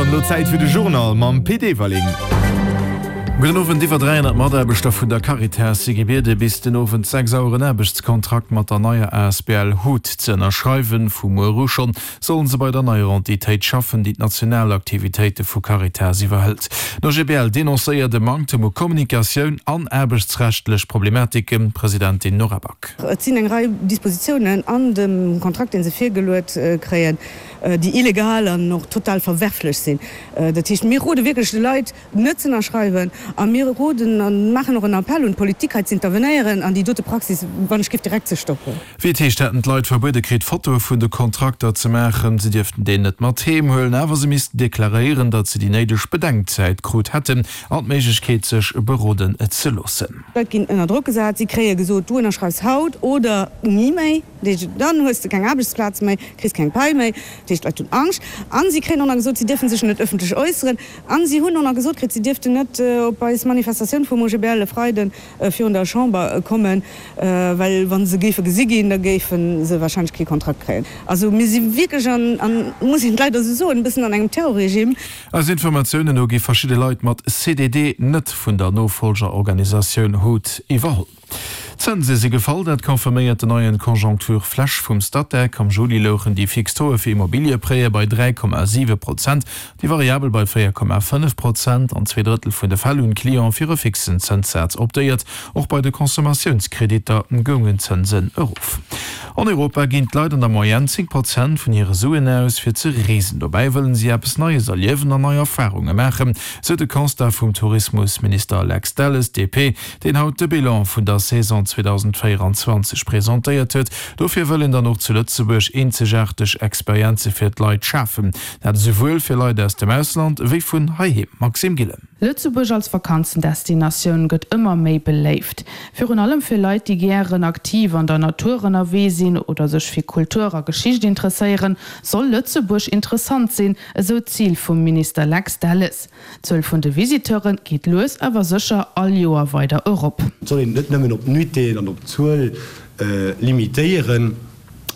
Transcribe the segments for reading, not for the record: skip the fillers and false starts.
dann elo Zäit fir de Journal mam Pit Everling. Gudden Owend. Iwwer 300 Mataarbechter vun der Caritas si gebiede bis den Owend 6 Auer en Aarbechtskontrakt mat der neier asbl hut ze ënnerschreiwen. Vu muer u schonn sollen se bei der neier Entitéit schaffen, déi d'national Aktivitéite vu Caritas iwwerhëlt. Den OGBL denoncéiert e Manktem u Kommunikatioun an aarbechtsrechtlech Problematiken. Presidentin Nora Back. Et sinn eng Rei Dispositiounen an dem Kontrakt, dee se virgeluet kréien, déi illegal an och total verwerflech sinn. Dat heescht, mir rode wierklech de Leit, net z'ënnerschreiwen a mir roden a maachen och en Appell un d'Politik, hei z'intervenéieren an déi dote Praxis, wann ech giff, direkt ze stoppen. Wéi et heescht, hätten d'Leit verbuede kritt, Fotoe vun de Kontrakter ze maachen. Se dierften déi net mat heem huelen, awer se missten deklaréieren, datt se déi néideg Bedenkzäit krut hätten an d'Méiglechkeet, sech beroden ze loossen. D'Leit ginn ënner Drock gesat, si kréie gesot, du ënnerschreifs haut oder ni méi. Dat heescht, dann hues de keng Aarbechtsplaz méi, kriss keng Pai méi. Dat heescht, d'Leit hunn Angscht. A si kréien och nach gesot, si dierfe sech net ëffentlech äusseren. A si hunn och nach gesot kritt, si dierften net op eis Manifestatioun vum OGBL e Freide virun der Chamber kommen, well wa se géife gesi ginn, da géife se warscheinlech kee Kontrakt kréien. Also mir si wierklech an, muss een leider esou soen, e bëssen an engem Terrorregime. Eis Informatiounen no gi verschidde Leit mat CDD net vun der Nofollgerorganisatioun hut iwwerholl. D'Zënse si gefall, dat confirméiert den neien Conjoncture-Flash vum Statec. Am Juli louchen déi fix Tauxe fir Immobiliëprêtë bei 3,7 Prozent, déi variabel bei 4,5 Prozent. An zweedrëttel vun de Fäll hunn d'Clienten fir e fixen Zënssaz optéiert. Och bei de Consommatiounskrediter goungen d'Zënsen erof. An Europa ginn d'Leit an der Moyenne 10 Prozent vun hire Suen aus, fir ze reesen. Dobäi wëllen si eppes Neies erliewen an nei Erfarunge maachen, sou de Constat vum Tourismusminister Lex Delles, DP. deen haut de Bilan vun der Saison 2024 presentéiert huet. Dofir wëll een dann och zu Lëtzebuerg eenzegaarteg Experienze fir d'Leit schafen. Dat esouwuel fir Leit aus dem Ausland ewéi vun heiheem. Maxime Gillen. Lëtzebuerg als Vakanzendestinatioun gëtt ëmmer méi beléift. Virun allem fir Leit, déi gären aktiv an der Natur ënnerwee sinn oder sech fir Kultur a Geschicht interesséieren, soll Lëtzebuerg interessant sinn, esou d'Zil vum Minister Lex Delles. D'Zuel vun de Visiteure geet lues awer sécher all Joer weider erop. Et soll een et net nëmmen op d'Nuitéen an op d'Zuel limitéieren,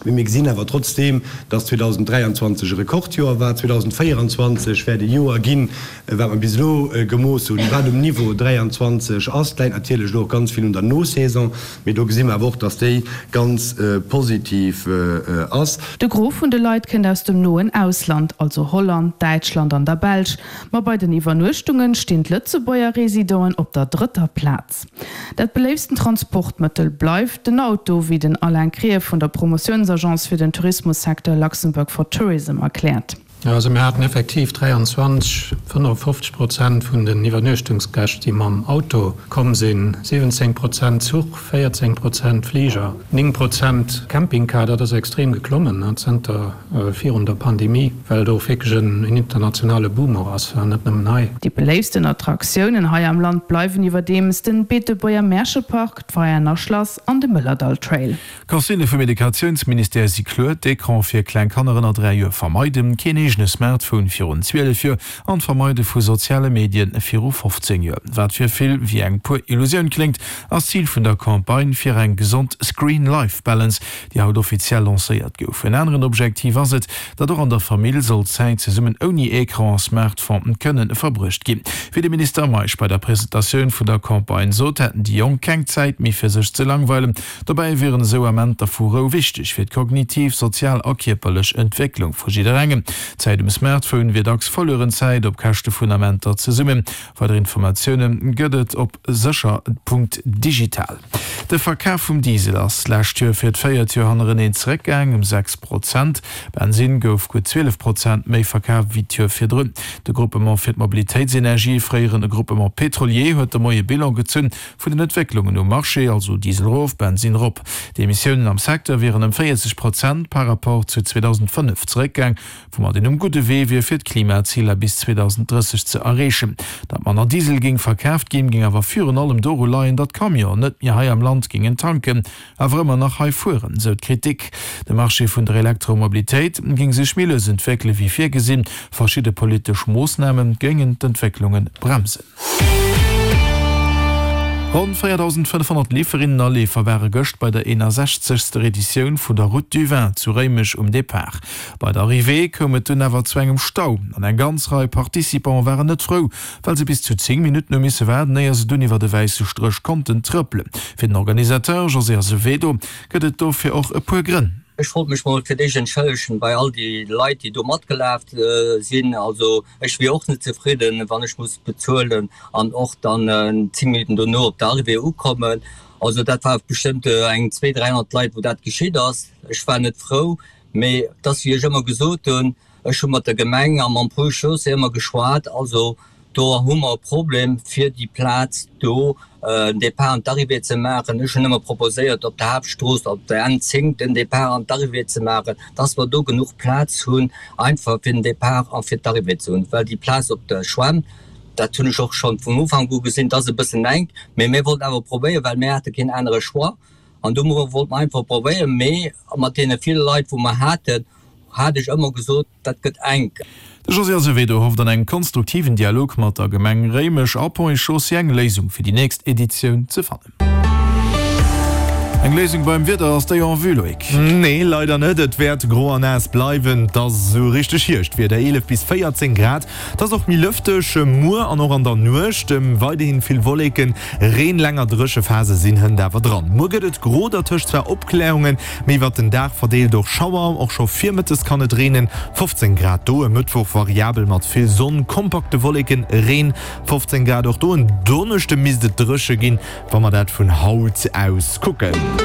mee mir gesinn awer trotzdeem, dass 2023 e Rekordjoer war. 2024 wäert e Joer ginn, wat mer bis elo gemooss hunn, wat um Niveau 23 ass. Dat läit natierlech elo och ganz vill un der Nosaison, mee do gesi mer awer och, dass déi ganz positiv ass. De Gros vun de Leit kënnt aus dem noen Ausland, also Holland, Däitschland an der Belsch. Ma bei den Iwwernuechtunge stinn d'Lëtzebuerger Residenten op der drëtter Plaz. Dat beléiftsten Transportmëttel bleift den Auto, wéi den Alain Krier vun der Promotiounsagence fir den Tourismussecteur Luxembourg for Tourism erkläert. Also mir haten effektiv 23, 55 Prozent vun den Iwwernuechtungsgäscht, déi mam Auto komm sinn, 17 Prozent Zuch, 14 Prozent Fliger, 9 Prozent Campingcar. Dat ass extrem geklommen zënter virun der Pandemie, well et och wierklech en internationale Boom och ass, net nëmmen hei. Déi beléiftsten Attraktiounen hei am Land bleiwen iwwerdeems den Beetebuerger Märchepark, d'Veianer Schlass an de Mëllerdall Trail. D'Consignë vum Educatiounsministère si kloer, d'Ecran fir kleng Kanner ënner 3 Joer vermeiden, keen eegene Smartphone virun 12 Joer an d'Vermeide vu soziale Medien viru 15 Joer. Wat fir vill wéi eng puer Illusioun kléngt, ass d'Zil vun der Campagne fir eng gesond Screen-Life-Balance, déi haut offiziell lancéiert gouf. En aneren Objektiv ass et, datt och an der Famill soll Zäit zesummen ouni Ecran a Smartphone kënne verbruecht ginn. Wéi de Minister Meisch bei der Presentatioun vun der Campagne sot, hätten déi Jonk keng Zäit méi fir sech ze langweilen. Dobäi wieren esou Amenter vu Rou wichteg fir d'kognitiv, sozial a kierperlech Entwécklung vu jidderengem. D'Zäit um Smartphone wier dacks verlueren Zäit op Käschte vun Amenter zesummen. Weider Informatioune gëtt et op sécher.digital. De Verkaf vum Diesel ass d'lescht Joer fir d'véiert Joer hannereneen zeréckgaang, ëm 6 Prozent. Bensinn gouf gutt 12 Prozent méi verkaf wéi d'Joer virdrun. De Groupement fir d'Mobilitéitsenergie, fréieren Groupement Pétrolier, huet de Moie Bilan gezunn Vun den Entwécklungen um Marché, also Diesel erof, Bensinn erop. D'Emissiounen am Secteur wieren ëm 40 Prozent par rapport zu 2005 zeréckgaang, woumat een um gudde Wee wier fir d'Klimaziler bis 2030 ze erreechen. Datt manner Diesel géing verkaaft ginn, géing awer virun allem doru leien, datt Camionen net méi hei am Land géingen tanken, awer ëmmer nach hei fueren, sou d'Kritik. De Marché vun der Elektromobilitéit géing sech méi lues entwéckele wéi virgesinn. Verschidde politesch Moossname géingen d'Entwécklunge bremsen. Ronn 4.500 Leeferinnen a Leefer ware gëscht bei der 61. Editioun vun der Route du Vin zu Réimech um Depart. Bei der Arrivée koum et dunn awer zu engem Stau an eng ganz Rei Participante waren net frou, well se bis zu 10 Minutten hu misse waarden, éier se dunn iwwer de wäisse Stréch konnten trëppelen. Fir den Organisateur José Azevedo gëtt et dofir och e puer Grënn. Ech wollt mech mol fir d'éischt entschëllegen bei all déi Leit, déi do matgelaf sinn. Also ech wier och net zefridden, wann ech muss bezuelen an och dann 10 Minutten dono op der Arrivée ukommen. Also dat war bestëmmt eng 200, 300 Leit, wou dat geschitt ass. Ech war net frou, mee et ass wéi ech ëmmer gesot hunn, Ech hu mat der Gemeng a mam Ponts et Chaussées ëmmer geschwat. Also do hu mer e Problem, fir déi Plaz do en Départ an d'Arrivée ze maachen. Ech hunn ëmmer proposéiert, op der Haaptstrooss, op der N10, den Départ an d'Arrivée ze maachen, dass mer do genuch Plaz hunn, einfach fir den Départ a fir d'Arrivée ze hunn. Well déi Plaz op der Schwämm, dat hunn ech och schonn vun Ufank u gesinn, dat ass e bëssen enk. Mee mir wollten awer probéieren, well mir hate keen anere Choix. An do wollte mer einfach probéieren. Mee mat deene ville Leit, wou mer haten, hat ech ëmmer gesot, dat gëtt enk. De José Azevedo hofft an engem konstruktiven Dialog mat der Gemeng Réimech a Ponts et Chaussées eng Léisung fir déi nächst Editioun ze fannen. Eng Léisung beim Wieder, ass déi en vue, Loïc? Nee, leider net. Et wäert gro a naass bleiwen. Et ass esou richteg Hierschtwieder, 11 bis 14 Grad. Et ass och méi lëfteg muer an och an der Nuecht. Weiderhin vill Wolleken, Reen, länger dréche Phase sinn hënt awer dran. Muer gëtt et gro, dertëscht zwar Opkläerungen, mee iwwert den Dag verdeelt och Schauer. Och scho virmëttes kann et reenen, 15 Grad do. E Mëttwoch variabel mat vill Sonn, kompakte Wolleken, Reen, 15 Grad och do. En Donneschde misst et dréche ginn, wa mer dat vun haut aus kucken.